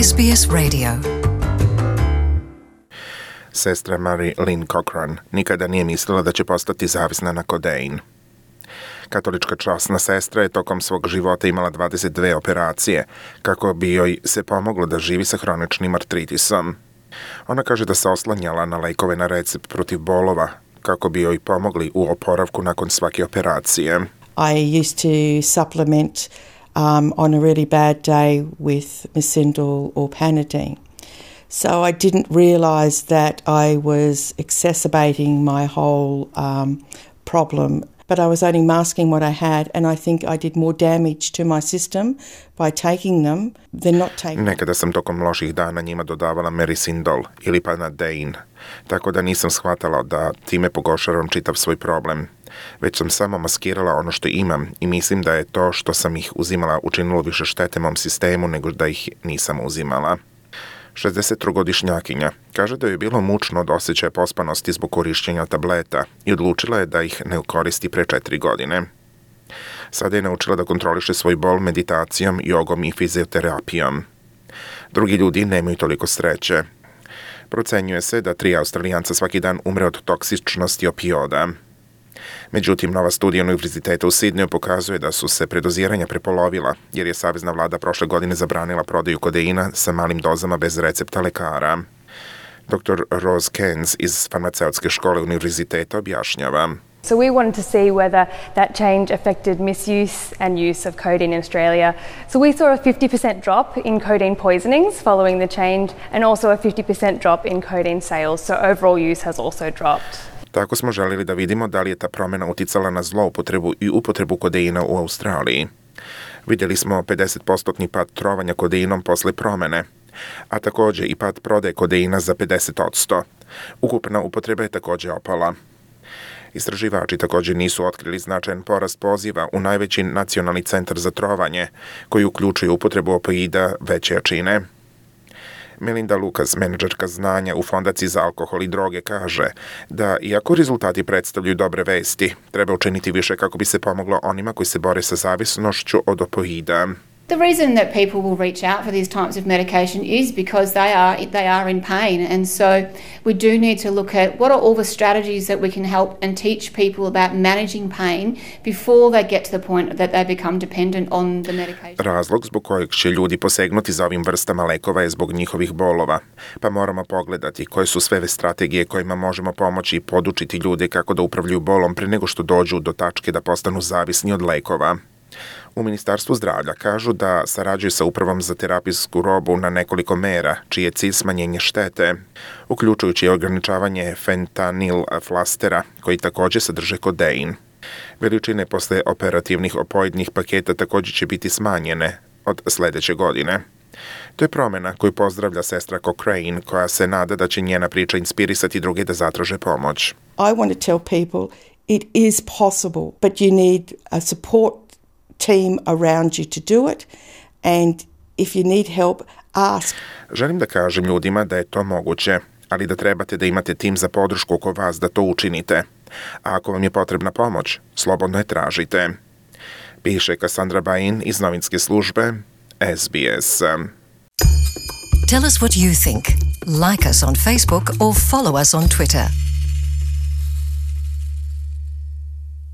SBS Radio. Sestra Mary Lynn Cochran nikada nije mislila da će postati zavisna na kodein. Katolička časna sestra je tokom svog života imala 22 operacije kako bi joj se pomoglo da živi sa hroničnim artritisom. Ona kaže da se oslanjala na lekove na recept protiv bolova kako bi joj pomogli u oporavku nakon svake operacije. I used to supplement on a really bad day with Mesindal or Panadeine. So I didn't realise that I was exacerbating my whole problem, but I was only masking what I had, and I think I did more damage to my system by taking them than not taking them. Nekada sam tokom loših dana njima dodavala Mesindal ili Panadeine, tako da nisam shvatala da time pogoršavam čitav svoj problem. Već sam samo maskirala ono što imam i mislim da je to što sam ih uzimala učinilo više štete mom sistemu nego da ih nisam uzimala. 63-godišnjakinja kaže da je bilo mučno od osjećaja pospanosti zbog korišćenja tableta i odlučila je da ih ne koristi pre 4 godine. Sada je naučila da kontroliše svoj bol meditacijom, jogom i fizioterapijom. Drugi ljudi nemaju toliko sreće. Procenjuje se da 3 Australijanca svaki dan umre od toksičnosti opioida. Međutim, nova studija Univerziteta u Sidneju pokazuje da su se predoziranja prepolovila, jer je savezna vlada prošle godine zabranila prodaju kodeina sa malim dozama bez recepta lekara. Dr. Rose Cairns iz farmaceutske škole univerziteta objašnjava. So we wanted to see whether that change affected misuse and use of codeine in Australia. So we saw a 50% drop in codeine poisonings following the change and also a 50% drop in codeine sales. So overall use has also dropped. Tako smo želili da vidimo da li je ta promjena uticala na zloupotrebu i upotrebu kodeina u Australiji. Vidjeli smo 50% pad trovanja kodeinom posle promjene, a također i pad prodaje kodeina za 50%. Ukupna upotreba je također opala. Istraživači također nisu otkrili značajan porast poziva u najveći nacionalni centar za trovanje, koji uključuje upotrebu opioida veće jačine. Melinda Lucas, menadžerka znanja u Fondaciji za alkohol i droge, kaže da iako rezultati predstavljaju dobre vesti, treba učiniti više kako bi se pomoglo onima koji se bore sa zavisnošću od opioida. The reason that people will reach out for these types of medication is because they are in pain, and so we do need to look at what are all the strategies that we can help and teach people about managing pain before they get to the point that they become dependent on the medication. Razlog zbog kojeg će ljudi posegnuti za ovim vrstama lekova je zbog njihovih bolova, pa moramo pogledati koje su sve strategije kojima možemo pomoći i podučiti ljude kako da upravljaju bolom pre nego što dođu do tačke da postanu zavisni od lekova. U Ministarstvu zdravlja kažu da sarađuju sa Upravom za terapijsku robu na nekoliko mera, čiji je cilj smanjenje štete, uključujući ograničavanje fentanil flastera, koji također sadrže kodein. Veličine posle operativnih opoidnih paketa također će biti smanjene od sljedeće godine. To je promjena koju pozdravlja sestra Cochrane, koja se nada da će njena priča inspirisati druge da zatraže pomoć. I want to tell people it is possible, but you need a support team around you to do it, and if you need help, ask. Želim da kažem ljudima da je to moguće, ali da trebate da imate tim za podršku oko vas da to učinite. A ako vam je potrebna pomoć, slobodno je tražite. Piše Cassandra Bain iz novinske službe SBS. Tell us what you think. Like us on Facebook or follow us on Twitter.